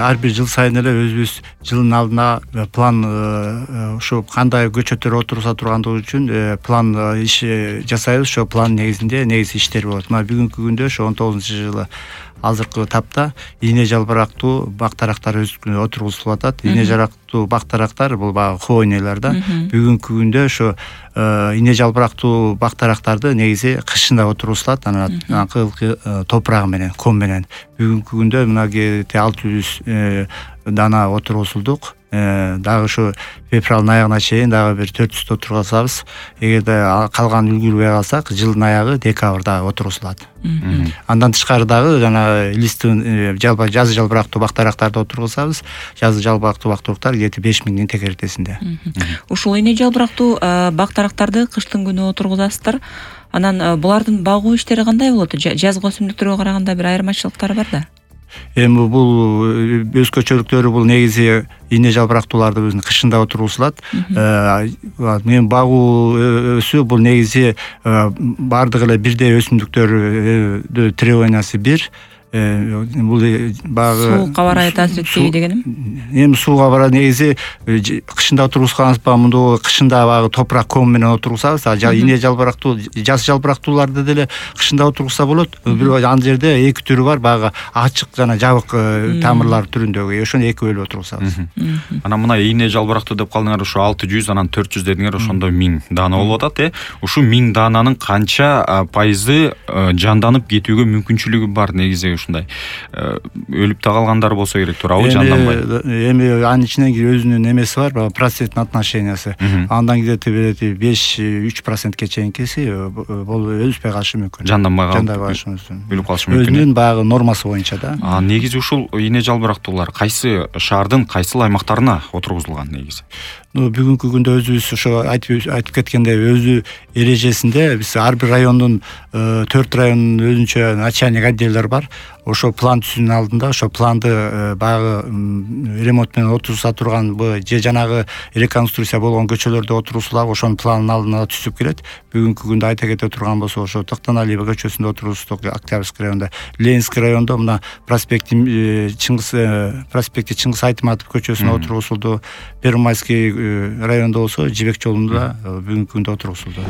ар бир жыл сайын эле өзүбүз жылдын алдына план ушу кандай көчөттөр отурулса тургандыгы үчүн план иш жасайбыз. Ошо план негизинде иштер болот. Мына бүгүнкү күндө ошо 19-жылы азыркы тапта ийне жалбырактуу бактарактар отургузулуп атат. Ийне жалбырактуу бактарактар бул баягы хвойныйлар да. Бүгүнкү күндө ошо ийне жалбырактуу бактарактарды негизи кышында отургузулат, анан акылкы топурагы менен, ком менен. Бүгүнкү күндө мына 600 дана отургузулдук. Дагы ушу февралдын аягына чейин дагы бир 400 отургузабыз. Эгерде калган үлгүрбөй калсак, жылдын аягы декабрда отургузулат. Андан тышкары дагы жана листин жазы жалбырактуу бактарактарды отургузабыз. Жазы жалбырактуу бактарактар 5000-ин текеретесинде. Ушул ийне жалбырактуу бактарактарды кыштын күнү отургузасыздар. Анан булардын багуу иштери кандай болот? Жазгы өсүмдүктөргө караганда бир айырмачылыктары бар да. Эми бул өзгөчөлүктөрү бул негизи ийне жалбырактууларды өзүнүн кышында отургузулат. Мен багуу өсүү бул негизи бардык эле бирдей өсүмдүктөр требованиясы бир. Бул багы сууга барай таасир этпейби дегеним? Эми сууга барай негизи кышында отургузганыбыз мындай кышында багы топурак ком менен отургузабыз. Ийне жалбырактуу, жаз жалбырактууларды деле кышында отургузса болот. Бирок ал жерде эки түрү бар, багы ачык жана жабык тамырлар түрүндөгү. Ошону эки бөлүп отургузабыз. Анан мына ийне жалбырактуу деп калдыңар, ушу 600, анан 400 дедиңер, ошондо 1000 даана болуп атат, Ушу 1000 даананын канча пайызы жанданып кетүүгө мүмкүнчүлүгү бар негизи? Ушундай өлүп да калгандар болсо керек, туурабы, жанданбай? Эми анын ичинен өзүнүн эмеси бар, проценттин отношениясы. Андан где-то 5-3%ке чейинкиси бул өспөй калышы мүмкүн. Жанданбай калышы мүмкүн. Өлүп калышы мүмкүн. Өзүнүн баягы нормасы боюнча да. Негизи ушул ийне жалбырактуулар кайсы шаардын кайсыл аймактарына отургузулган негизи? Бүгүнкү күндө өзүбүз ошо айтып кеткендей өзү эрежесинде биз ар бир райондун 4 райондун өзүнчө начальник отделдер бар. Ошо план түзүүнүн алдында ошо планды баягы ремонт менен отургуза турган же жанагы реконструкция болгон көчөлөрдө отургузулап, ошонун планын алдына түзүп келет. Бүгүнкү күндө айта кете турган болсо ошо Токтоналиева көчөсүндө отургуздук, Октябрьский районунда, Ленинский райондо мына проспекти Чыңгыз Айтматов көчөсүнө отургузулду. Первомайский райондо болсо Жибек жолунда бүгүнкү күндө отургузулду.